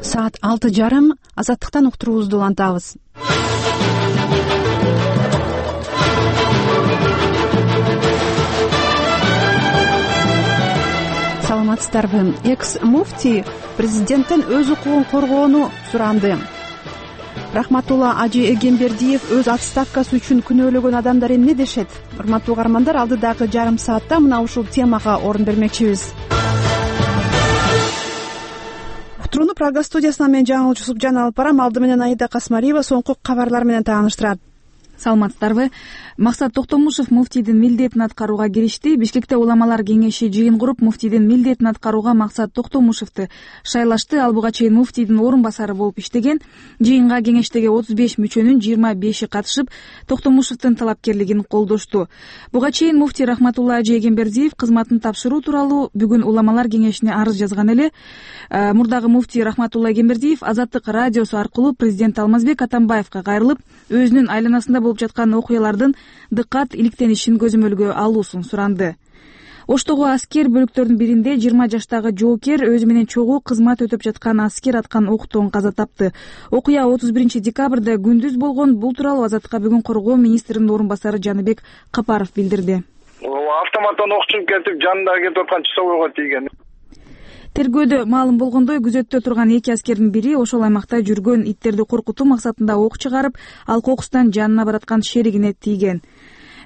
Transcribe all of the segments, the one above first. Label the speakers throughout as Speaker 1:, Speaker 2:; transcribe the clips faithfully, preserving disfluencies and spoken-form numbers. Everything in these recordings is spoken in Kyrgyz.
Speaker 1: Саат алты жарым. Азаттыктан уктуруубузду улантабыз. Саламатсыздарбы? Экс-муфтий президенттен өз укугун коргоону суранды. Рахматулла Ажи Эгембердиев өз отставкасы үчүн күнөөлөгөн адамдар эмне дешет? Урматтуу угармандар, алдыдагы жарым саатта мына ушул темага орун бермекчибиз. Уктурууну Прага студиясынан мен Жаңыл Жусупжан алып барам. Алды менен Аида Касмариева соңку кабарлар менен тааныштырат.
Speaker 2: Саламатсыздарбы? Максат Токтомушев муфтийдин милдетин аткарууга киришти. Бишкекте уламалар кеңеши жыйын куруп, муфтийдин милдетин аткарууга Максат Токтомушевду шайлашты. Ал буга чейин муфтийдин орун басары болуп иштеген. Жыйынга кеңештеги отуз беш мүчөнүн жыйырма беши катышып, Токтомушевдин талапкерлигин колдошту. Буга чейин муфтий Рахматулла Ажи Эгембердиев кызматын тапшыруу тууралуу бүгүн уламалар кеңешине арыз жазган эле. Мурдагы муфтий Рахматулла Эгембердиев Азаттык радиосу аркылуу президент Алмазбек Атамбаевга кайрылып, өзүнүн айланасында болуп жаткан окуялардын дыккат иликтенишин көзөмөлгө алуусун суранды. Оштогу аскер бөлүктөрдүн биринде жыйырма жаштагы жоокер өзү менен чогуу кызмат өтөп жаткан аскер аткан октон каза тапты. Окуя отуз биринчи декабрда күндүз болгон. Бул тууралуу Азаттыкка бүгүн коргоо министринин орун басары Жаныбек Капаров билдирди.
Speaker 3: Автоматтан ок чыгып кетип, жанында кетип аткан часовойго тийген.
Speaker 2: Тергөөдө маалым болгондой, күзөттө турган эки аскердин бири ошол аймакта жүргөн иттерди коркутуу максатында ок чыгарып, ал кокустан жанына бараткан шеригине тийген.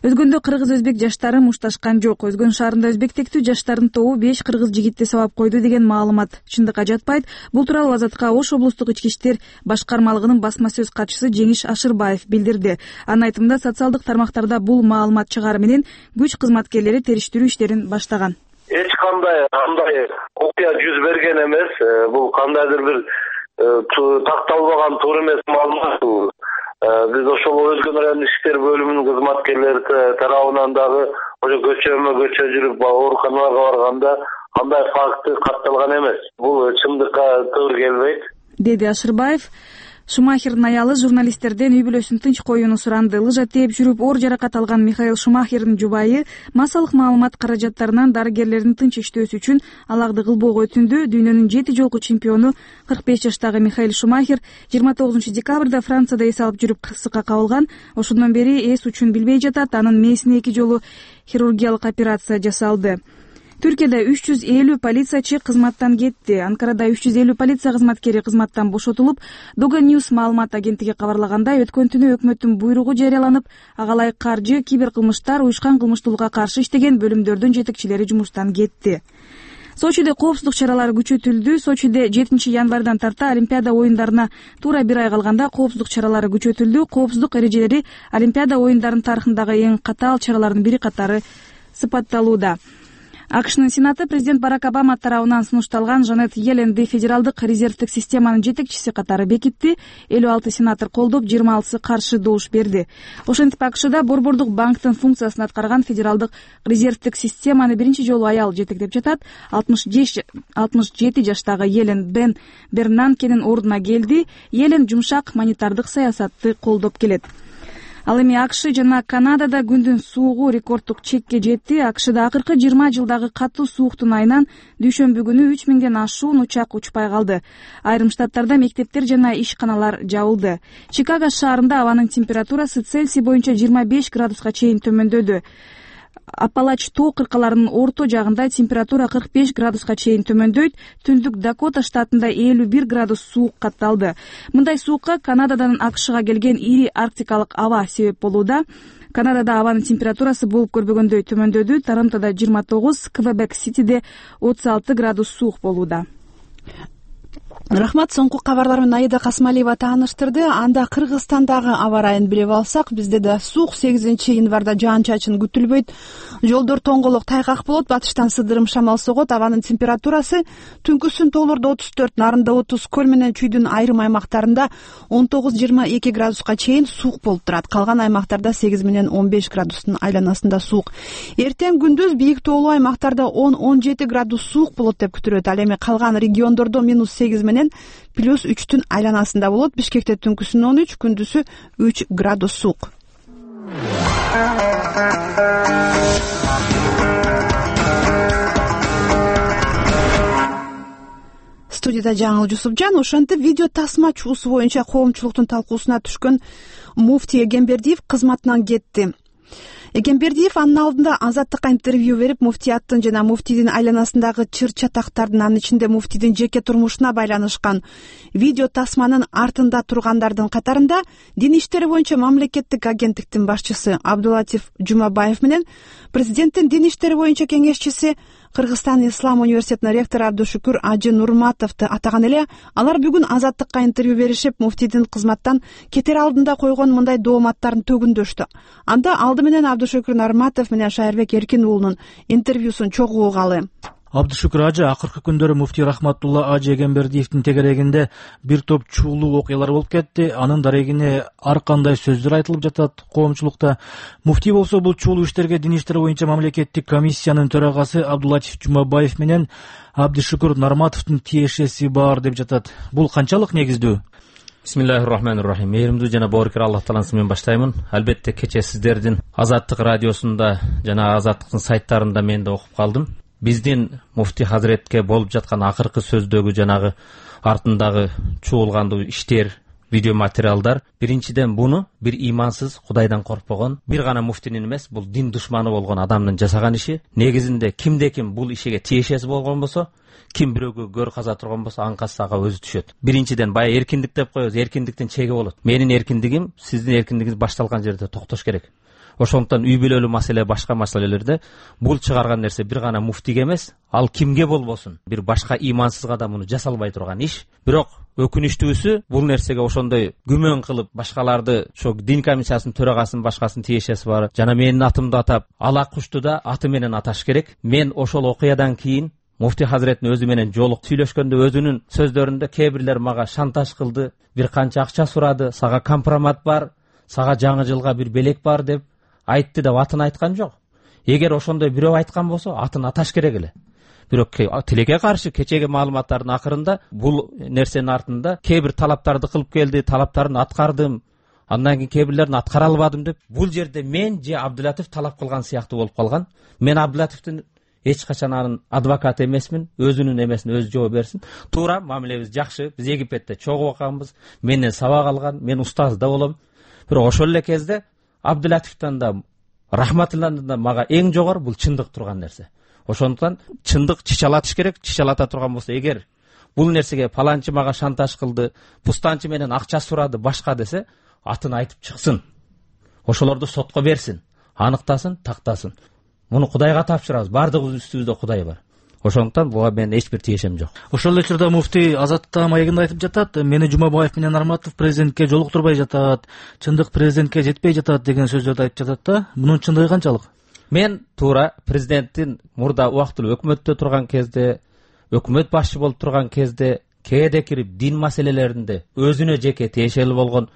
Speaker 2: Өзгөндө кыргыз-өзбек жаштары мушташкан жок. Өзгөн шаарында өзбектектүү жаштардын тобу беш кыргыз жигитти сабап койду деген маалымат чындыкка жатпайт. Бул тууралуу Азаттыкка Ош облустук ички иштер башкармалыгынын басма сөз катчысы Жеңиш Ашырбаев билдирди. Анын айтымында, социалдык тармактарда бул маалымат чыгаары менен күч кызматкерлери териштирүү иштерин баштаган.
Speaker 4: Эч кандай кандай окуя жүз берген эмес. Бул кандайдыр бир такталбаган туура эмес маалымат. Биз ошол өзгөн райондук иштер бөлүмүнүн кызматкерлери тарабынан дагы ошо көчөмө көчө жүрүп ооруканаларга барганда кандай факты катталган эмес. Бул чындыкка туура келбейт,
Speaker 2: деди Ашырбаев. Шумахердин аялы журналисттерден үй бүлөсүн тынч коюуну суранды. Лыжа тээп жүрүп оор жаракат алган Михаил Шумахердин жубайы массалык маалымат каражаттарынан дарыгерлердин тынч иштөөсү үчүн алагды кылбоого өтүндү. Дүйнөнүн жети жолку чемпиону кырк беш жаштагы Михаил Шумахер жыйырма тогузунчу декабрда Францияда эс алып жүрүп кырсыкка кабылган. Ошондон бери эс үчүн билбей жатат. Анын мээсине эки жолу хирургиялык операция жасалды. Түркияда үч жүз элүү полициячы кызматтан кетти. Анкарада үч жүз элүү полиция кызматкери кызматтан бошотулуп, Дога Ньюс маалымат агенттиги кабарлагандай, өткөн түнү өкмөттүн буйругу жарыяланып, ага ылайык каржы, киберкылмыштар, уюшкан кылмыштуулукка каршы иштеген бөлүмдөрдүн жетекчилери жумуштан кетти. Сочиде коопсуздук чаралары күчөтүлдү. Сочиде жетинчи январдан тарта Олимпиада оюндарына туура бир ай калганда коопсуздук чаралары күчөтүлдү. Коопсуздук эрежелери Олимпиада оюндарынын тарыхындагы эң катаал чаралардын бири катары сыпатталууда. АКШнын Сенаты президент Барак Обама тарабынан сунушталган Жанет Йелленди федералдык резервдик системанын жетекчиси катары бекитти. элүү алты сенатор колдоп, жыйырма алтысы каршы добуш берди. Ошентип АКШда Борбордук банктын функциясын аткарган федералдык резервдик системаны биринчи жолу аял жетектеп жатат. алтымыш жети жаштагы Йеллен Бен Бернанкенин ордуна келди. Йеллен жумшак монетардык саясатты колдоп келет. Ал эми АКШ жана Канадада күндүн суугу рекорддук чекке жетти. АКШда акыркы жыйырма жылдагы катуу сууктун айынан дүйшөмбү күнү үч миңден ашуун учак учпай калды. Айрым штаттарда мектептер жана ишканалар жабылды. Чикаго шаарында абанын температурасы Цельсий боюнча жыйырма беш градуска чейин төмөндөдү. Апалач тоо кыркаларынын орто жагында температура кырк беш градуска чейин төмөндөйт. Түндүк Дакота штатында элүү бир градус суук катталды. Мындай суукка Канададан АКШга келген ири арктикалык аба себеп болууда. Канадада абанын температурасы болуп көрбөгөндөй төмөндөдү. Торонтодо жыйырма тогуз, Квебек-Ситиде отуз алты градус суук болууда.
Speaker 1: Рахмат. Соңку кабарлар менен Аида Касмалиева тааныштырды. Анда Кыргызстандагы аба ырайын билип алсак, бизде да суук сегизинчи январда жаан-чачын күтүлбөйт. Жолдор тоңголок, тайгак болот, батыштан сыдырым шамал согот. Абанын температурасы түнкүсүн тоолордо отуз төрт, нарында отуз, көл менен чүйдүн айрым аймактарында он тогуз жыйырма эки градуска чейин суук болуп турат. Калган аймактарда сегиз менен он беш градустун айланасында суук. Эртең күндүз бийик тоолуу аймактарда он он жети градус суук болот деп күтүлөт. Ал эми калган региондордо минус сегиз менен плюс үчтүн айланасында болот. Бишкекте түнкүсүн он үч, күндүзү үч градус суук. студияда Жаңыл Жусупжан. Ошентип видео тасма чуусу боюнча коомчулуктун талкуусуна түшкөн муфтий Эгембердиев кызматынан кетти. Эгембердиев анын алдында Азаттыкка интервью берип, муфтияттын жана муфтийдин айланасындагы чыр чатактардын, анын ичинде муфтийдин жеке турмушуна байланышкан видео тасманын артында тургандардын катарында дин иштери боюнча мамлекеттик агенттиктин башчысы Абдулатиф Жумабаев менен президенттин дин иштери боюнча кеңешчиси, Кыргызстан Ислам университетинин ректору Абдушүкүр Ажы Нурматовду атаган эле. Алар бүгүн Азаттыкка интервью беришип, муфтийдин кызматтан кетер алдында койгон мындай дооматтарын төгүндөштү. Анда алды менен Абдушүкүр Нурматов менен Шайырбек Эркин уулунун интервьюсун чогуу угалы.
Speaker 5: Абдушүкүр Ажы, акыркы күндөрү муфтий Рахматулла Ажы Эгембердиевдин тегерегинде бир топ чуулуу окуялар болуп кетти. Анын дарегине ар кандай сөздөр айтылып жатат коомчулукта. Муфтий болсо бул чуулуу иштерге дин иштери боюнча мамлекеттик комиссиянын төрагасы Абдулатиф Жумабаев менен Абдушүкүр Нурматовдун тиешеси бар деп жатат. Бул канчалык негиздүү?
Speaker 6: Бисмиллахир-рахманир-рахим. Мээримдүү жана боорукер Аллах тааласы менен баштаймын. Албетте кечээ сиздердин Азаттык радиосунда жана Азаттыктын сайттарында мен да окуп калдым. Биздин муфтий хазретке болуп жаткан акыркы сөздөгү жанагы артындагы чуулгандуу иштер, видео материалдар биринчиден буну бир имансыз, Кудайдан коркпогон, бир гана муфтинин эмес, бул дин душманы болгон адамдын жасаган иши. Негизинде кимде ким бул ишиге тиешеси болгон болсо, ким бирөөгө көр каза турган болсо, анкасы ага өзү түшөт. Биринчиден баягы эркиндик деп коебуз, эркиндиктин чеги болот. Менин эркиндигим сиздин эркиндигиңиз башталган жерде токтош керек. Ошондуктан үй бүлөлүү маселе, башка маселелерде бул чыгарган нерсе бир гана муфтиге эмес, ал кимге болбосун, бир башка имансызга да муну жасалбай турган иш. Бирок өкүнүчтүүсү, бул нерсеге ошондой күмөн кылып башкаларды, ошо дин комиссиясынын төрагасынын башкасынын тиешеси бар, жана менин атымды атап, ала кушту да аты менен аташ керек. Мен ошол окуядан кийин муфтий хазреттин өзү менен жолук сүйлөшкөндө өзүнүн сөздөрүндө кээ бирлер мага шантаж кылды, бир канча акча сурады, сага компромат бар, сага жаңы жылга бир белек бар деп айтты деп атын айткан жок. Эгер ошондой бирөө айткан болсо, атын аташ керек эле. Бирок тилекке каршы кечеги маалыматтардын акырында бул нерсенин артында кээ бир талаптарды кылып келди, талаптарын аткардым, андан кийин кээ бирлерин аткара албадым деп. Бул жерде мен же Абдулатиф талап кылган сыяктуу болуп калган. Мен Абдулатифтин эч качан анын адвокаты эмесмин, өзүнүн эмесин өзү жооп берсин. Туура, мамилебиз жакшы. Биз Египетте чогуу окуганбыз, менден сабак алган, мен устаз да болом. Бирок ошол эле кезде Абдулатифтан да Рахматулладан да мага эң жогору бул чындык турган нерсе. Ошондуктан чындык чичалатыш керек. Чичалата турган болсо, эгер бул нерсеге паланчы мага шантаж кылды, пустанчы менен акча сурады, башка десе, атын айтып чыксын. Ошолорду сотко берсин, аныктасын, тактасын. Муну Кудайга тапшырабыз. Бардыгыбыз үстүбүздө Кудай бар. Ошондуктан буга менин эч бир тиешем жок.
Speaker 5: Ошол эле учурда муфтий Азаттыкка маегинде айтып жатат, мени Жумабаев менен Нурматов президентке жолуктурбай жатат, чындык президентке жетпей жатат деген сөздөрдү айтып жатат да. Мунун чындыгы канчалык?
Speaker 6: Мен туура президенттин мурда убактылуу өкмөттө турган кезде, өкмөт башчы болуп турган кезде кээде кирип дин маселелеринде өзүнө жеке тиешелүү болгон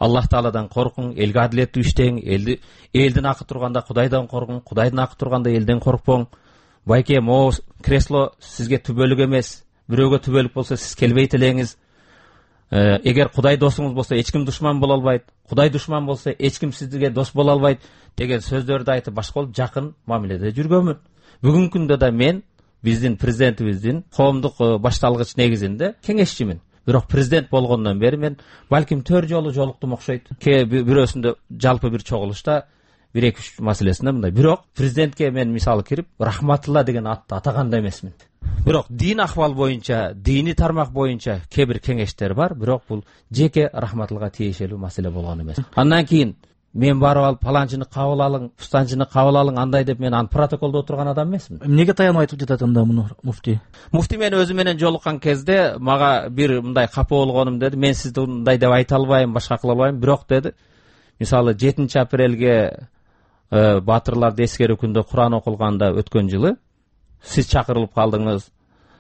Speaker 6: Аллах Тааладан коркуң, элге адилеттүү иштең, элди элдин акы турганда Кудайдан коркуң, Кудайдын акы турганда элден коркпоң. Байке, могу кресло сизге түбөлүк эмес, бирөөгө түбөлүк болсо сиз келбейт элеңиз. Эгер Кудай досуңуз болсо эч ким душман боло албайт, Кудай душман болсо эч ким сизге дос боло албайт деген сөздөрдү айтып башка болуп жакын мамиледе жүргөнмүн. Бүгүнкү күндө да мен биздин президентибиздин коомдук башталгыч негизинде кеңешчимин. Бирок президент болгондон бери мен балким төрт жолу жолуктум окшойт. Кээ бирөөсүндө жалпы бир чогулушта бир эки үч маселесинде мындай. Бирок президентке мен мисалы кирип Рахматулла деген атты атаган да эмесмин. Бирок дин ахвал боюнча, дини тармак боюнча кээ бир кеңештер бар, бирок бул жеке Рахматуллага тиешелүү маселе болгон эмес. Андан кийин мен барып алып паланчыны кабыл алың, пустанчыны кабыл алың, андай деп мен аны протоколдо отурган адам эмесмин.
Speaker 5: Эмнеге таянып айтып жатат анда муну муфтий?
Speaker 6: Муфтий мен өзү менен жолуккан кезде мага бир мындай капа болгонум деди. Мен сизди мындай деп айта албайм, башка кыла албайм, бирок деди. Мисалы жетинчи апрелге батырларды эскерүү күндө Куран окулганда өткөн жылы сиз чакырылып калдыңыз.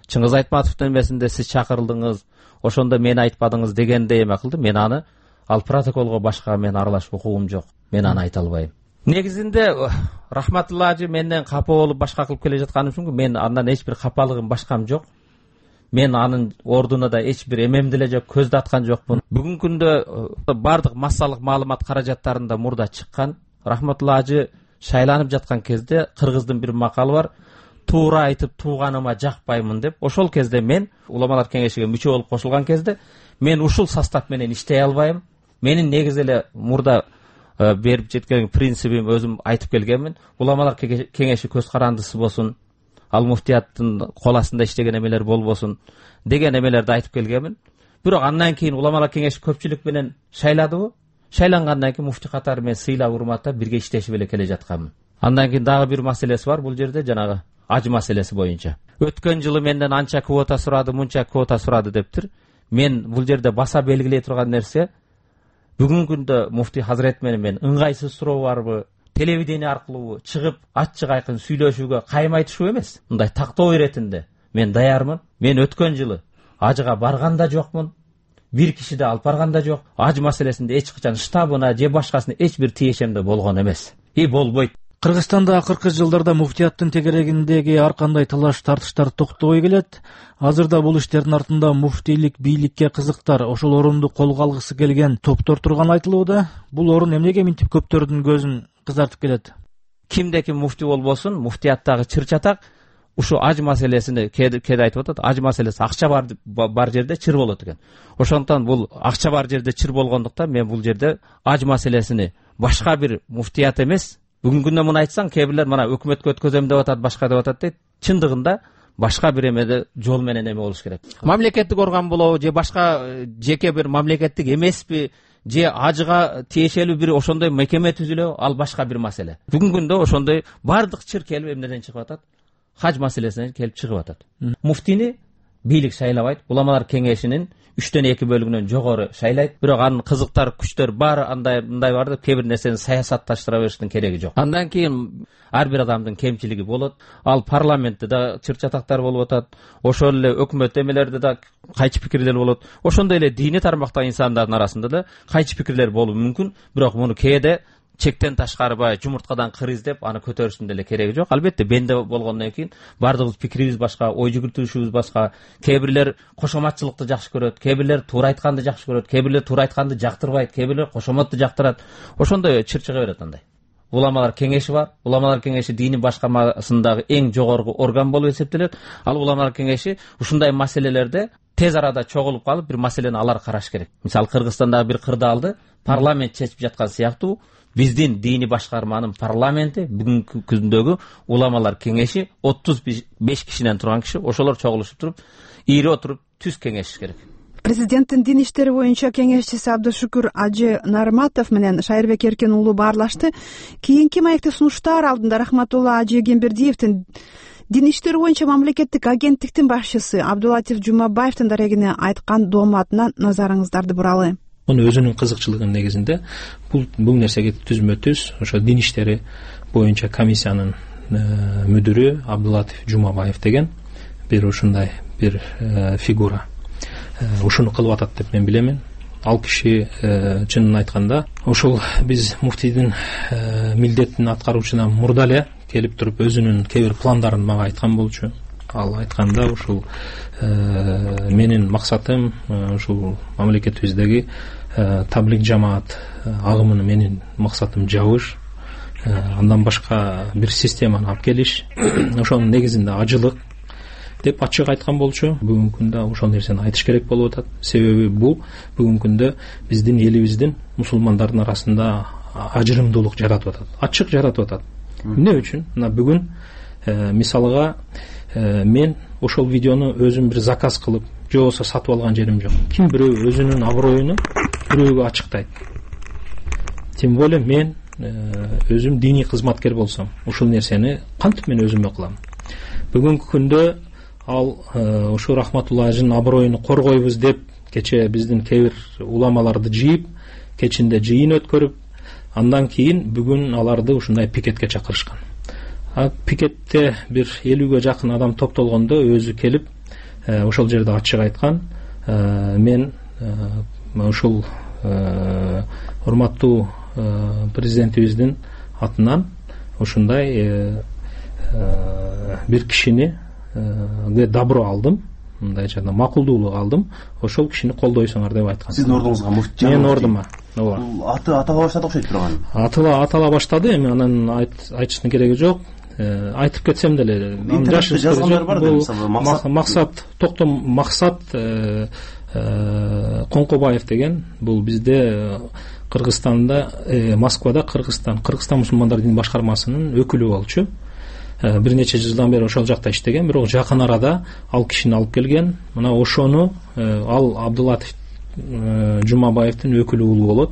Speaker 6: Чыңгыз Айтматовдун эмесинде сиз чакырылдыңыз. Ошондо мени айтпадыңыз дегенде эме кылды. Мен аны ал протоколго башка мен аралашып укугум жок. Мен аны айта албайм. Негизинде Рахматулла ажы менден капа болуп башка кылып келе жатканым үчүн мен андан эч бир капалыгым башкам жок. Мен анын ордуна да эч бир эмемди эле жок, көздү аткан жокмун. Бүгүнкү күндө бардык массалык маалымат каражаттарында мурда чыккан. Рахматулла ажы шайланып жаткан кезде Кыргыздын бир макалы бар. туура айтып тууганыма жакпаймын деп ошол кезде мен уламалар кеңешиге мүчө болуп кошулган кезде мен ушул состав менен иштей албайм. Менин негизи эле мурда берип жеткен принцибим өзүм айтып келгенмин. Уламалар кеңеши көз карандысы болсун, ал муфтияттын кол астында иштеген эмелер болбосун деген эмелерди айтып келгенмин. Бирок андан кийин уламалар кеңеши көпчүлүк менен шайладыбы? Шайлангандан кийин муфти катары мен сыйлап урматтап бирге иштешип эле келе жатканмын. Андан кийин дагы бир маселеси бар бул жерде, жанагы аж маселеси боюнча. Өткөн жылы менден анча квота сурады, мынча квота сурады дептир. Мен бул жерде баса белгилей турган нерсе, бүгүнкү күндө муфти Хазрет менен мен ыңгайсыз суроо барбы, телевидение аркылуу чыгып ачык айкын сүйлөшүүгө кайым айтышуу эмес. Мындай тактоо иретинде мен даярмын. Мен өткөн жылы ажыга барган да жокмун. Бир киши да алып барган да жок. Аж маселесинде эч качан штабына же башкасына эч бир тиешем да болгон эмес. И болбойт.
Speaker 5: Кыргызстанда акыркы жылдарда муфтияттын тегерегиндеги ар кандай талаш тартыштар токтобой келет. Азырда бул иштердин артында муфтийлик бийликке кызыктар, ошол орунду колго алгысы келген топтор турган айтылууда. Бул орун эмнеге мынтип көптөрдүн көзүн кызартып келет?
Speaker 6: Кимде ким муфти болбосун, муфтияттагы чыр-чатак ушу аж маселесини кээде айтып атат. Аж маселеси акча бар бар жерде чыр болот экен. Ошондуктан бул акча бар жерде чыр болгондуктан мен бул жерде аж маселесини башка бир муфтият эмес, бүгүнкү күндө муну айтсаң, кээ бирлер мына өкмөткө өткөзөм деп атат, башка деп атат дейт. Чындыгында башка бир эмеде жол менен эме болуш керек. Мамлекеттик орган болобу же башка жеке бир мамлекеттик эмеспи, же ажыга тиешелүү бир ошондой мекеме түзүлөбү, ал башка бир маселе. Бүгүнкү күндө ошондой бардык чыр келип эмнеден чыгып атат? Хаж маселесинен келип чыгып атат. Муфтини бийлик шайлабайт, уламалар кеңешинин үчтөн эки бөлүгүнөн жогору шайлайт. Бирок анын кызыктар, күчтөр баары андай мындай бар деп, кээ бир нерсени саясатташтыра бериштин кереги жок. Андан кийин ар бир адамдын кемчилиги болот. Ал парламентте да чыр-чатактар болуп атат. Ошол эле өкмөт эмелерде да кайчы пикирлер болот. Ошондой эле диний тармактагы инсандардын арасында да кайчы пикирлер болуу мүмкүн. Бирок муну кээде чектен ташкары баягы жумурткадан кыр издеп аны көтөрүштүн деле кереги жок. Албетте бенде болгондон кийин бардыгыбыз пикирибиз башка, ой жүгүртүшүбүз башка. Кээ бирлер кошоматчылыкты жакшы көрөт, кээ бирлер туура айтканды жакшы көрөт, кээ бирлер туура айтканды жактырбайт, кээ бирлер кошомотту жактырат. Ошондой чыр чыга берет андай. Уламалар кеңеши бар. Уламалар кеңеши дини башкармасындагы эң жогорку орган болуп эсептелет. Ал уламалар кеңеши ушундай маселелерде тез арада чогулуп калып бир маселени алар караш керек. Мисалы Кыргызстандагы бир кырдаалды парламент чечип жаткан сыяктуу биздин дини башкарманын парламенти бүгүнкү күндөгү уламалар кеңеши отуз беш кишиден турган киши, ошолор чогулушуп туруп, ийри отуруп түз кеңешиш керек.
Speaker 1: Президенттин дин иштери боюнча кеңешчиси Абдышүкүр Ажы Нарматов менен Шайырбек Эркен уулу баарлашты. Кийинки маекти сунуштар алдында Рахматулла Ажы Эгембердиевдин дин иштери боюнча мамлекеттик агенттиктин башчысы Абдулатиф Жумабаевдин дарегине айткан дооматына назарыңыздарды буралы.
Speaker 7: Муну өзүнүн кызыкчылыгынын негизинде бул бул нерсеге түзмө-түз ошо дин иштери боюнча комиссиянын мүдүрү Абдулатиф Жумабаев деген бир ушундай бир фигура ушуну кылып атат деп мен билемин. Ал киши чынын айтканда ошол биз муфтийдин милдетин аткаруучудан мурда эле келип туруп өзүнүн кээ бир пландарын мага айткан болчу. Ал айтканда ушул менин максатым ушул мамлекетибиздеги таблик жамаат агымын менин максатым жабыш, андан башка бир системаны алып келиш, ошонун негизинде ажылык деп ачык айткан болчу. Бүгүнкү күндө ошол нерсени айтыш керек болуп атат. Себеби бул бүгүнкү күндө биздин элибиздин мусулмандардын арасында ажырымдуулук жаратып атат, ачык жаратып атат. Эмне үчүн? Мына бүгүн мисалга мен ошол видеону өзүм бир заказ кылып, же болбосо сатып алган жерим жок. Ким бирөө өзүнүн аброюну бирөөгө ачыктайт. Тем более мен өзүм диний кызматкер болсом, ушул нерсени кантип мен өзүмө кылам? Бүгүнкү күндө ал ушу Рахматулла Ажынын аброюну коргойбуз деп кече биздин кээ бир уламаларды жыйып, кечинде жыйын өткөрүп, андан кийин бүгүн аларды ушундай пикетке чакырышкан. А пикетте бир элүүгө жакын адам топтолгондо өзү келип ошол жерде ачык айткан, мен ушул урматтуу президентибиздин атынан ушундай бир кишини добро алдым, мындай жана макулдуулук алдым, ошол кишини колдойсуңар деп айткан.
Speaker 8: Сиздин ордуңузга муфти?
Speaker 7: Менин ордума.
Speaker 8: Ооба. Аты атала баштады окшойт турган.
Speaker 7: Атала атала баштады, эми анан айтыштын кереги жок. айтып кетсем деле
Speaker 8: интернетте жазгандар бар да, мисалы
Speaker 7: Максат Токтом Максат Коңкобаев деген, бул бизде Кыргызстанда, Москвада Кыргызстан Кыргызстан мусулмандар дин башкармасынын өкүлү болчу. Бир нече жылдан бери ошол жакта иштеген, бирок жакын арада ал кишини алып келген. Мына ошону ал Абдулатов Жумабаевдин өкүлү уулу болот.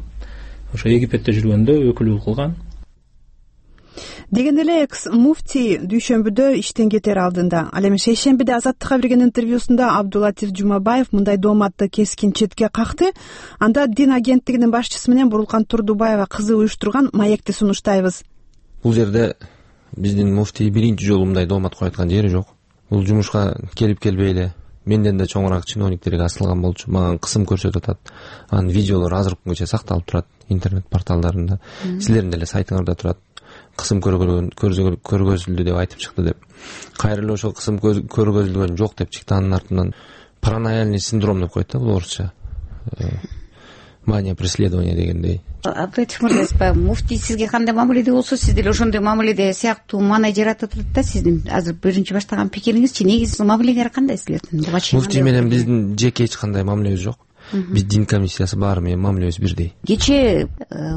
Speaker 7: Ошо Египетте жүргөндө өкүлү кылган.
Speaker 1: Дегенде эле экс муфтий дүйшөмбүдө иштен кетер алдында, ал эми шейшембиде Азаттыкка берген интервьюсунда Абдулатив Жумабаев мындай дооматты кескин четке какты. Анда дин агенттигинин башчысы менен Бурулкан Турдубаева кызы уюштурган маекти сунуштайбыз.
Speaker 9: Бул жерде биздин муфтий биринчи жолу мындай доомат коюп аткан жери жок. Бул жумушка келип келбей эле менден да чоңураак чиновниктерге асылган болчу. Мага кысым көрсөтүп атат. Анын видеолору азыркы күнгөчө сакталып турат интернет порталдарында. Силердин деле сайтыңарда турат. Кысым көргөзүлдү деп айтып чыкты деп. Кайра эле ошол кысым көргөзүлгөн жок деп чыкты. Анын артынан паранояльный синдром деп коет да, бул орусча. Мания преследования дегендей.
Speaker 10: Абдулатив мырза, муфтий сизге кандай мамиледе болсо, сиз деле ошондой мамиледе сыяктуу маанай жаратып атат да. Сиздин азыр биринчи баштаган пикириңизчи, негизи мамилеңер кандай силердин?
Speaker 9: Муфтий менен биздин жеке эч кандай мамилебиз жок. Биз дин комиссиясы баары менен мамилебиз бирдей.
Speaker 10: Кечээ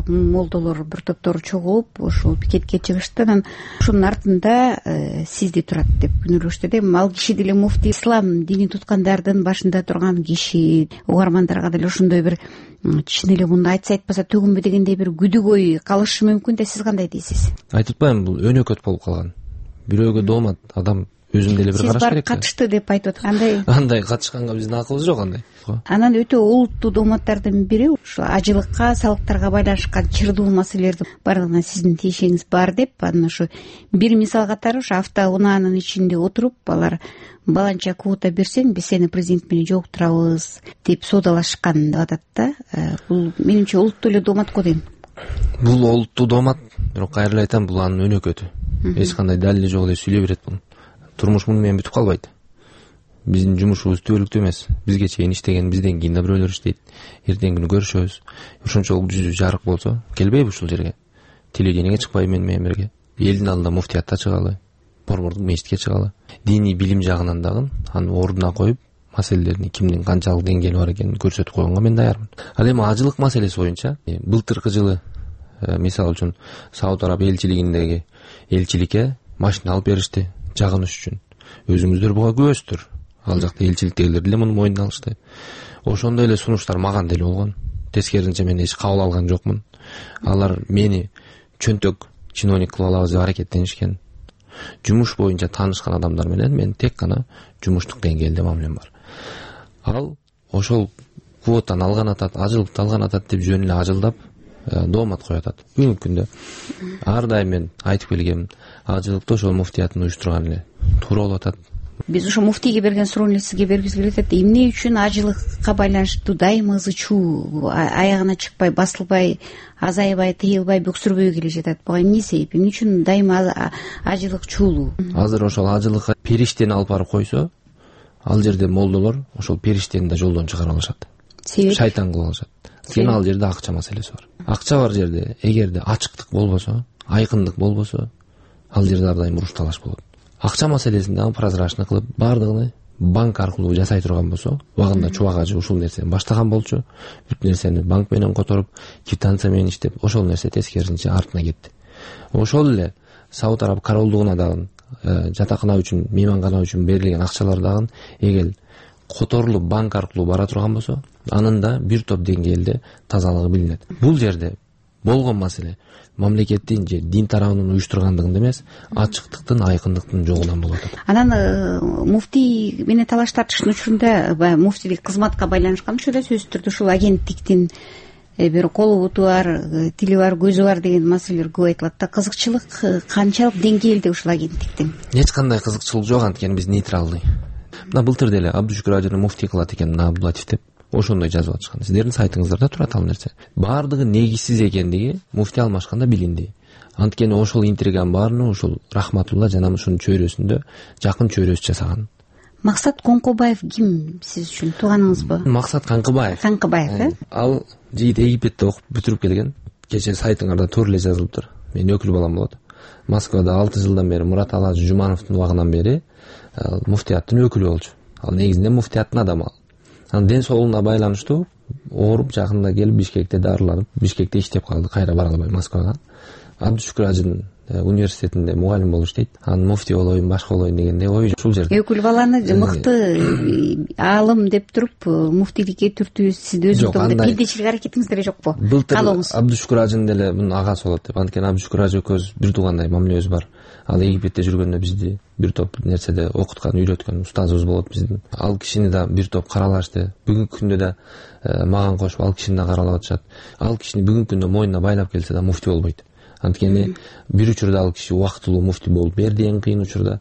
Speaker 10: молдолор бир топтор чогулуп ошол пикетке чыгышты. Анан ошонун артында сизди турат деп күнөөлөштү да. Ал киши деле муфтий, ислам дини туткандардын башында турган киши. Угармандарга деле ошондой бир чын эле муну айтса айтпаса төгүнбү дегендей бир күдүк ой калышы мүмкүн да. Сиз кандай дейсиз?
Speaker 9: Айтып атпаймынбы, бул өнөкөт болуп калган. Бирөөгө доомат адам өзүн деле бир караш керек.
Speaker 10: Сиз барып катышты деп айтып аткандай.
Speaker 9: Андай катышканга биздин акыбыз жок андай.
Speaker 10: Анан өтө олуттуу дооматтардын бири ушу ажылыкка, салыктарга байланышкан чырдуу маселелерди бардыгына сиздин тиешеңиз бар деп, анан ошо бир мисал катары ошо автоунаанын ичинде отуруп, алар баланча квота берсең, биз сени президент менен жолуктурабыз деп соодалашкан деп атат да. Бул менимче олуттуу эле доомат го дейм.
Speaker 9: Бул олуттуу доомат, бирок кайра эле айтам, бул анын өнөкөтү. Эч кандай далили жок эле сүйлөй берет бул. Турмуш муну менен бүтүп калбайт. Биздин жумушубуз түбөлүктүү эмес. Бизге чейин иштеген, бизден кийин да бирөөлөр иштейт. Эртеңки күнү көрүшөбүз. Ошончолук жүзү жарык болсо, келбейби ушул жерге? Телевидениеге чыкпайбы мен менен бирге? Элдин алдында муфтиятта чыгалы, борбордук мечитке чыгалы. Диний билим жагынан дагы аны ордуна коюп, маселелердин кимдин канчалык деңгээли бар экенин көрсөтүп койгонго мен даярмын. Ал эми ажылык маселеси боюнча былтыркы жылы мисалы үчүн Сауд Араб элчилигиндеги элчиликке машина алып беришти жагыныш үчүн. Өзүңүздөр буга күбөсүздөр. Ал жакта элчиликтегилер деле муну мойнуна алышты. Ошондой эле сунуштар маган деле болгон. Тескерисинче мен эч кабыл алган жокмун. Алар мени чөнтөк чиновник кылып алабыз деп аракеттенишкен. Жумуш боюнча таанышкан адамдар менен мен тек гана жумуштук деңгээлде мамилем бар. Ал ошол квотаны алган атат, ажылыкты алган атат деп жөн эле ажылдап доомат коюп атат. Бүгүнкү күндө ар дайым мен айтып келгем, ажылыкты ошол муфтиятын уюштурган эле туура болуп атат.
Speaker 10: Биз ошо муфтийге берген суроону сизге бергибиз келип атат. Эмне үчүн ажылыкка байланыштуу дайыма ызы чуу аягына чыкпай, басылбай, азайбай, тыйылбай, бөксүрбөй келе жатат? Буга эмне себеп? Эмне үчүн дайыма ажылык чуулуу?
Speaker 9: Азыр ошол ажылыкка периштени алып барып койсо, ал жерде молдолор ошол периштени да жолдон чыгарып алышат.
Speaker 10: Себеп?
Speaker 9: Шайтан кылып алышат. Сен ал жерде акча маселеси бар. Акча бар жерде, эгерде ачыктык болбосо, айкындык болбосо, ал жерде ар дайым уруш талаш болот. Акча маселесин дагы прозрачный кылып, бардыгын банк аркылуу жасай турган болсо, убагында Чубак ажы ушул нерсени баштаган болчу. Бүт нерсени банк менен которуп, квитанция менен иштеп, ошол нерсе тескерисинче артына кетти. Ошол эле Сауд Араб королдугуна дагы жатакана үчүн, меймангана үчүн берилген акчалар дагы эгер которулуп банк аркылуу бара турган болсо, анын да бир топ деңгээлде тазалыгы билинет. Бул жерде болгон маселе мамлекеттин же дин тарабынын уюштургандыгында эмес, ачыктыктын, айкындыктын жогунан болуп атат.
Speaker 10: Анан муфтий менен талаш тартыштын учурунда муфтийлик кызматка байланышкан учурда сөзсүз түрдө ушул агенттиктин бир колу буту бар, тили бар, көзү бар деген маселелер көп айтылат да. Кызыкчылык канчалык деңгээлде ушул агенттиктин?
Speaker 9: Эч кандай кызыкчылык жок, анткени биз нейтралдый. Мына былтыр деле Абдушүкүр ажыны муфтий кылат экен мына Абдулатив деп ошондой жазып атышкан. Сиздердин сайтыңыздарда турат ал нерсе. Бардыгы негизсиз экендиги муфтий алмашканда билинди. Анткени ошол интриганын баарын ошол Рахматулла жана ушунун чөйрөсүндө жакын чөйрөсү жасаган.
Speaker 10: Максат Коңкобаев ким сиз үчүн? Тууганыңызбы?
Speaker 9: Максат Канкыбаев.
Speaker 10: Канкыбаев, э?
Speaker 9: Ал жигит Египетте окуп бүтүрүп келген. Кечээ сайтыңарда туура эле жазылыптыр. Менин өкүл балам болот. Москвада алты жылдан бери Мурат Алач Жумановдун убагынан бери муфтияттын өкүлү болчу. Ал негизинде муфтияттын адамы. Ал анын ден соолугуна байланыштуу ооруп жакында келип Бишкекте дарыланып, Бишкекте иштеп калды, кайра бара албай Москвага. Абдушукур Ажын университетинде мугалим болуп иштейт. Анын муфти болоюн, башка болоюн дегенде ой ушул жерде. Өкүл
Speaker 10: баланы мыкты аалым деп туруп муфтийликке түртүү сизди өзүңүздө кедейчилик аракетиңиз деле жокпу?
Speaker 9: Былтыр Абдушукур Ажын деле мунун агасы болот деп. Анткени Абдушукур Ажы экөөбүз бир туугандай мамилебиз бар. Ал Египетте жүргөндө бизди бир топ нерседе окуткан, үйрөткөн устазыбыз болот биздин. Ал кишини да бир топ каралашты. Бүгүнкү күндө да мага кошуп ал кишини да каралап атышат. Ал кишини бүгүнкү күндө мойнуна байлап келсе да муфти болбойт. Анткени бир учурда ал киши убактылуу муфти болуп берди, эң кыйын учурда.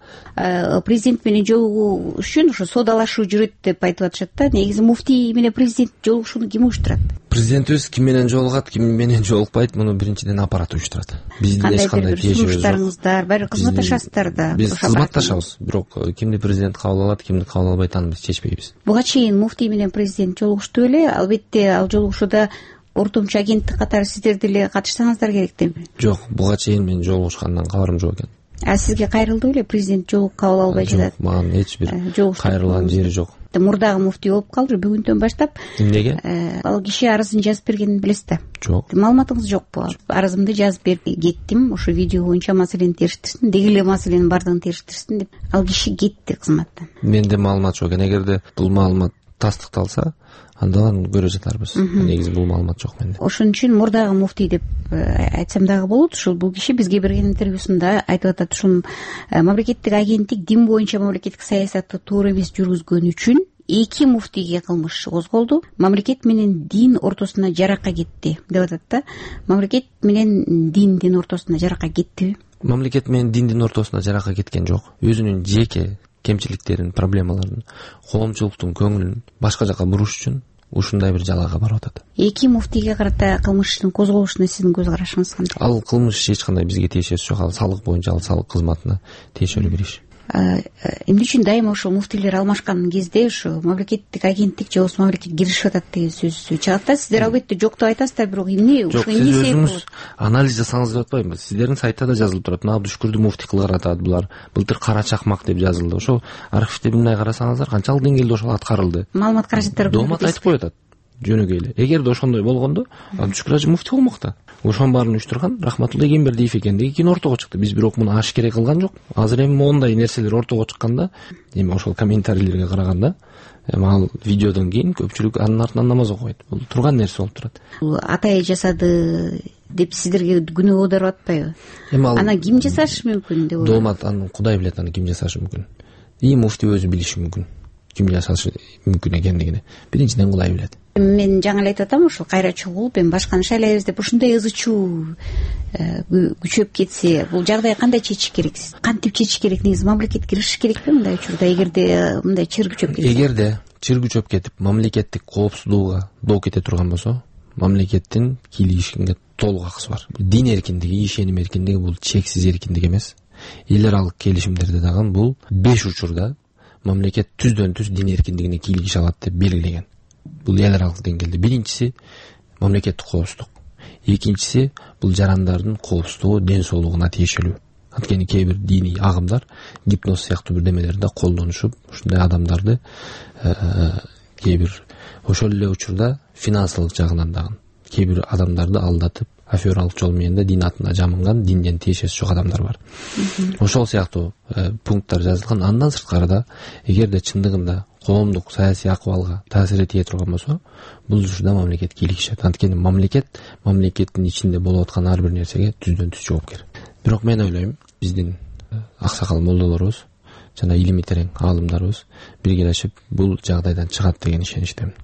Speaker 10: Президент менен жолугуу үчүн ошо соодалашуу жүрөт деп айтып атышат да. Негизи муфти менен президент жолугушууну ким уюштурат?
Speaker 9: Президентибиз ким менен жолугат, ким менен жолукпайт, муну биринчиден аппарат уюштурат. Биздин эч кандай тиешебиз жок.
Speaker 10: Баары кызматташасыздар да.
Speaker 9: Биз кызматташабыз, бирок кимди президент кабыл алат, кимди кабыл албайт аны биз чечпейбиз.
Speaker 10: Буга чейин муфти менен президент жолугушту беле? Албетте ал жолугушууда ортомчу агенттик катары сиздер деле катышсаңыздар керек деп.
Speaker 9: Жок, буга чейин мен жолугушкандан кабарым жок экен.
Speaker 10: А сизге кайрылды беле? Президент жолугуп кабыл албай жатат.
Speaker 9: Жок, мага эч бир кайрылган жери жок.
Speaker 10: Мурдагы муфти болуп калды бүгүндөн баштап.
Speaker 9: Эмнеге?
Speaker 10: Ал киши арызын жазып бергенин билесиз да?
Speaker 9: Жок.
Speaker 10: Маалыматыңыз жокпу? Арызымды жазып берип кеттим, ошо видео боюнча маселени териштирсин, деги эле маселенин баардыгын териштирсин деп. Ал киши кетти кызматтан.
Speaker 9: Менде маалымат жок экен. Эгерде бул маалымат тастыкталса, анда аны көрө жатарбыз. Негизи бул маалымат жок менде.
Speaker 10: Ошон үчүн мурдагы муфти деп айтсам дагы болот. Ушул бул киши бизге берген интервьюсунда айтып атат, ушул мамлекеттик агенттик дин боюнча мамлекеттик саясатты туура эмес жүргүзгөн үчүн эки муфтийге кылмыш козголду. Мамлекет менен дин ортосуна жаракка кетти деп атат да. Мамлекет менен диндин ортосуна жаракка кеттиби?
Speaker 9: Мамлекет менен диндин ортосуна жаракка кеткен жок. Өзүнүн жеке кемчиликтерин, проблемаларын, коомчулуктун көңүлүн башка жака буруш үчүн ушундай бир жалага барып атат.
Speaker 10: Эки муфтийге карата кылмыш ишин козголушуна сиздин көз карашыңыз кандай?
Speaker 9: Ал кылмыш эч кандай бизге тиешеси жок. Ал салык боюнча, ал салык кызматына тиешелүү бир иш.
Speaker 10: Эмне үчүн дайыма ошо муфтийлер алмашкан кезде ошо мамлекеттик агенттик же болбосо мамлекет киришип атат деген сөз чыгат да. Сиздер албетте жок деп айтасыздар, бирок эмне ошо эмне себеп болот?
Speaker 9: Анализ жасаңыз деп атпаймынбы? Сиздердин сайтта да жазылып турат. Мына Абдушукурду муфти кылган атат булар. Былтыр кара чакмак деп жазылды. Ошо архивде мындай карасаңыздар канчалык деңгээлде ошол аткарылды.
Speaker 10: Маалымат каражаттары
Speaker 9: доомат айтып коюп атат. Жөнөкөй эле. Эгерде ошондой болгондо Абдушукур Ажы муфти болмок да. Ошонун баарын уюштурган Рахматулла Эгембердиев экендиги кийин ортого чыкты. Биз бирок муну ашкере кылган жок. Азыр эми моундай нерселер ортого чыкканда, эми ошол комментарийлерге караганда, эми ал видеодон кийин көпчүлүк анын артынан намаз окубайт. Бул турган нерсе болуп турат.
Speaker 10: Атай жасады деп сиздерге күнөө оодарып атпайбы?
Speaker 9: Эми ал
Speaker 10: аны ким жасашы мүмкүн деп ойлойм.
Speaker 9: Доомат аны Кудай билет, аны ким жасашы мүмкүн. И муфти өзү билиши мүмкүн. Ким жасашы мүмкүн экендигини. Биринчиден Кудай билет.
Speaker 10: Мен жаңы эле айтып атам, ушул кайра чогулуп эми башканы шайлайбыз деп ушундай ызы чуу күчөп кетсе, бул жагдай кандай чечиш керек? Кантип чечиш керек? Негизи мамлекет киришиш керекпи мындай учурда, эгерде мындай чыр күчөп кетсе?
Speaker 9: Эгерде чыр күчөп кетип, мамлекеттик коопсуздууга доо кете турган болсо, мамлекеттин кийлигишинге толук акысы бар. Дин эркиндиги, ишеним эркиндиги бул чексиз эркиндик эмес. Эл аралык келишимдерде дагы бул беш учурда мамлекет түздөн түз дин эркиндигине кийлигише алат деп белгилеген. Бул эл аралык деңгээлде биринчиси мамлекеттик коопсуздук. Экинчиси бул жарандардын коопсуздугу, ден соолугуна тиешелүү. Анткени кээ бир диний агымдар гипноз сыяктуу бир немелерди колдонушуп, ушундай адамдарды кээ бир ошол эле учурда финансылык жагынан дагы кээ бир адамдарды алдатып, афералык жол менен да дин атына жамынган, динден тиешеси жок адамдар бар. Ошол сыяктуу пункттар жазылган. Андан сырткары да, эгерде чындыгында коомдук саясий акыбалга таасир этие турган болсо, бул учурда мамлекет кийлигишет. Анткени мамлекет мамлекеттин ичинде болуп аткан ар бир нерсеге түздөн түз жоопкер. Бирок мен ойлойм, биздин аксакал молдолорубуз жана илими терең аалымдарыбыз биргелешип бул жагдайдан чыгат деген ишеничтемин.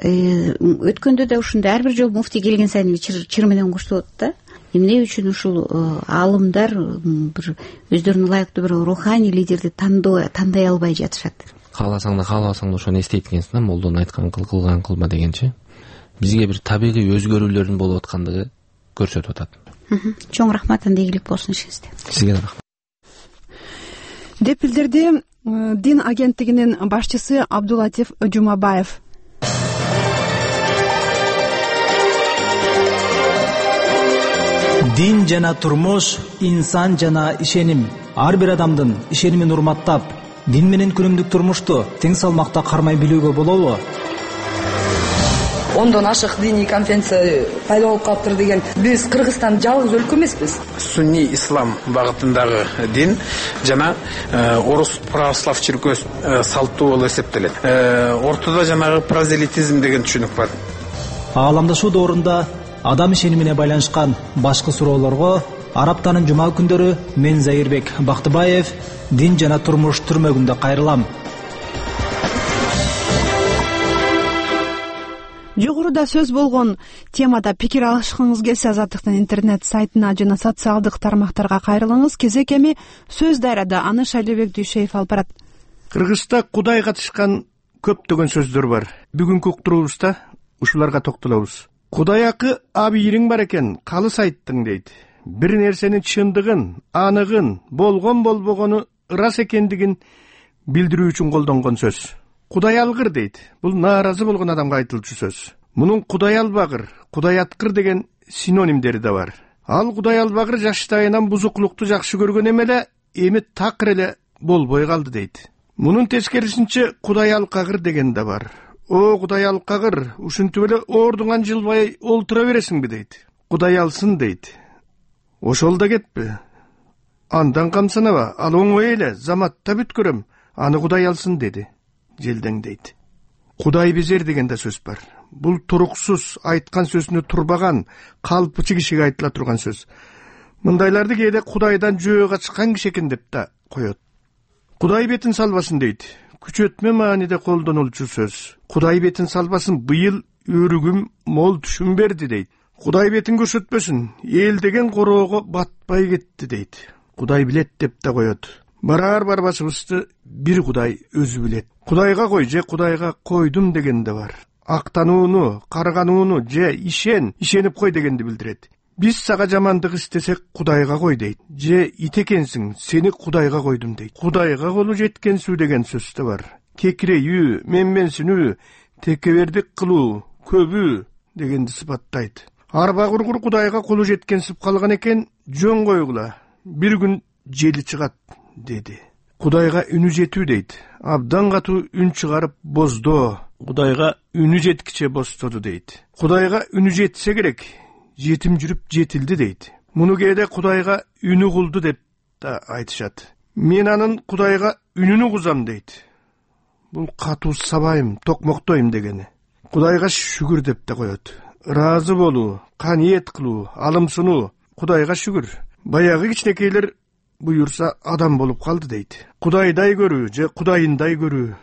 Speaker 10: Өткөндө да ушундай ар бир жолу муфти келген сайын чыр менен коштоп атат да. Эмне үчүн ушул аалымдар бир өздөрүнө ылайыктуу бир руханий лидерди тандай албай жатышат?
Speaker 9: Кааласаң да каалабасаң да ошону эстейт экенсиң да, молдонун айткан кыл, кылган кылма дегенчи. Бизге бир табигый өзгөрүүлөрдүн болуп аткандыгы көрсөтүп атат.
Speaker 10: Чоң рахмат, анда ийгилик болсун ишиңизде.
Speaker 9: Сизге да рахмат.
Speaker 1: Деп билдирди Дин агенттигинин башчысы Абдулатиф Жумабаев.
Speaker 11: дин жана турмуш, инсан жана ишеним. Ар бир адамдын ишенимин урматтап, дин менен күнүмдүк турмушту тең салмакта кармай билүүгө болобу?
Speaker 12: ондон ашык диний конференция пайда болуп калыптыр деген. Биз Кыргызстан жалгыз өлкө эмеспиз.
Speaker 13: Сунни ислам багытындагы дин жана орус православ чиркөөсү салттуу болуп эсептелет. Ортодо жанагы прозелитизм деген түшүнүк бар.
Speaker 11: Ааламдашуу доорунда адам ишенимине байланышкан башкы суроолорго Араптанын жума күндөрү мен Заирбек Бактыбаев дин жана турмуш түрмөгүндө кайрылам.
Speaker 1: Жогоруда сөз болгон темада пикир алышкыңыз келсе, Азаттыктын интернет сайтына жана социалдык тармактарга кайрылыңыз. Кезек эми сөз дайрада, аны Шайлебек Дүйшеев алып барат.
Speaker 14: Кыргызда Кудай катышкан көптөгөн сөздөр бар. Бүгүнкү уктуруубузда ушуларга токтолобуз. Кудай акы абийириң бар экен, калыс айттың дейт. Бир нерсенин чындыгын, аныгын, болгон болбогону ырас экендигин билдирүү үчүн колдонгон сөз. Кудай алгыр дейт. Бул нааразы болгон адамга айтылчу сөз. Мунун Кудай албагыр, Кудай аткыр деген синонимдери да бар. Ал Кудай албагыр жаштайынан бузуклукту жакшы көргөн эмеле, эми такыр эле болбой калды дейт. Мунун тескерисинче Кудай алкагыр деген да бар. О, Кудай алкагыр, ушинтип эле ордуңан жылбай олтура бересиңби дейт. Кудай алсын дейт. Ошол да кетпи. Андан камсанаба, ал оңой эле, заматта бүткөрөм, аны Кудай алсын деди. Желдең дейт. Кудай безер деген да сөз бар. Бул туруксуз, айткан сөзүнө турбаган, калпычы кишиге айтыла турган сөз. Мындайларды кээде Кудайдан жөө качкан киши экен деп да коет. Кудай бетин салбасын дейт. Күчөтмө мааниде колдонулчу сөз. Кудай бетин салбасын, быйыл өрүгүм мол түшүм берди дейт. Кудай бетин көрсөтпөсүн, эл деген короого батпай кетти дейт. Кудай билет деп да коет. Барар барбашыбызды бир Кудай өзү билет. Кудайга кой же Кудайга койдум деген да бар. Актанууну, карганууну же ишен, ишенип кой дегенди билдирет. Биз сага жамандык истесек Кудайга кой дейт. Же ит экенсиң, сени Кудайга койдум дейт. Кудайга колу жеткенсүү деген сөз да бар. Кекирейүү, менменсинүү, текебердик кылуу, көбүү дегенди сыпаттайт. Арба кургур Кудайга колу жеткенсип калган экен, жөн койгула. Бир күн жели чыгат деди. Кудайга үнү жетүү дейт. Абдан катуу үн чыгарып боздоо. Кудайга үнү жеткиче бостоду дейт. Кудайга үнү жетсе керек, жетим жүрүп жетилди дейт. Муну кээде Кудайга үнү кулду деп да айтышат. Мен анын Кудайга үнүнү кузам дейт. Бул катуу сабайым, токмоктойм дегени. Кудайга шүгүр деп да коет. Ыраазы болуу, каниет кылуу, алымсынуу. Кудайга шүгүр. Баягы кичинекейлер буюрса адам болуп калды дейт. Кудайдай көрүү же Кудайындай көрүү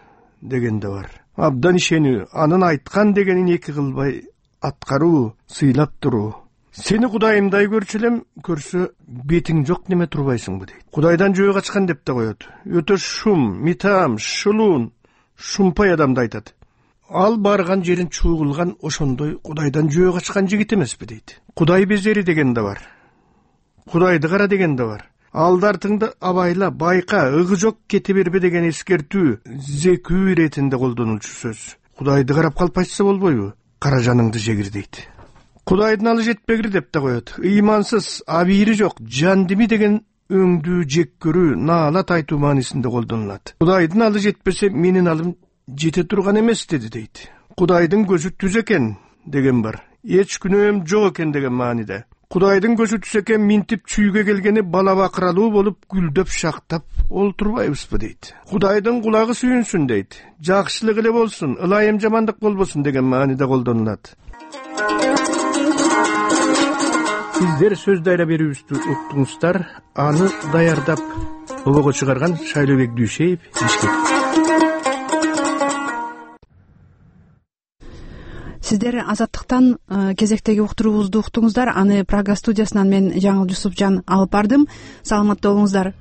Speaker 14: деген да бар. Абдан ишенүү, анын айткан дегенин эки кылбай аткаруу, сыйлап туруу. Сени Кудайымдай көрчү элем, көрсө бетиң жок неме турбайсыңбы дейт. Кудайдан жөө качкан деп да коет. Өтө шум, митам, шулуун, шумпай адамды айтат. Ал барган жерин чуугулган, ошондой Кудайдан жөө качкан жигит эмеспи дейт. Кудай безери деген да бар. Кудайды кара деген да бар. Алдартыңды абайла, байка, ыгы жок кете бербе деген эскертүү, зекүү иретинде колдонулчу сөз. Кудайды карап калпайса болбойбу? Кара жаныңды жегир дейт. Кудайдын алы жетпегир деп да коет. Ыймансыз, абийири жок, жандими деген өңдүү жек көрүү, наалат айтуу маанисинде колдонулат. Кудайдын алы жетпесе, менин алым жете турган эмес деди дейт. Кудайдын көзү түз экен деген бар. Эч күнөөм жок экен деген мааниде. Кудайдын көзү түз экен, минтип чүйгө келгени бала бакыралуу болуп гүлдөп шактап олтурбайбызбы дейт. Кудайдын кулагы сүйүнсүн дейт. Жакшылык эле болсун, ылайым жамандык болбосун деген мааниде колдонулат. Сиздер сөз дайра берүүбүздү уктуңуздар. Аны даярдап обого чыгарган Шайлебек Дүйшеев, Бишкек.
Speaker 1: Сиздер Азаттыктан кезектеги уктуруубузду уктуңуздар. Аны Прага студиясынан мен Жаңыл Жусупжан алып бардым. Саламатта болуңуздар.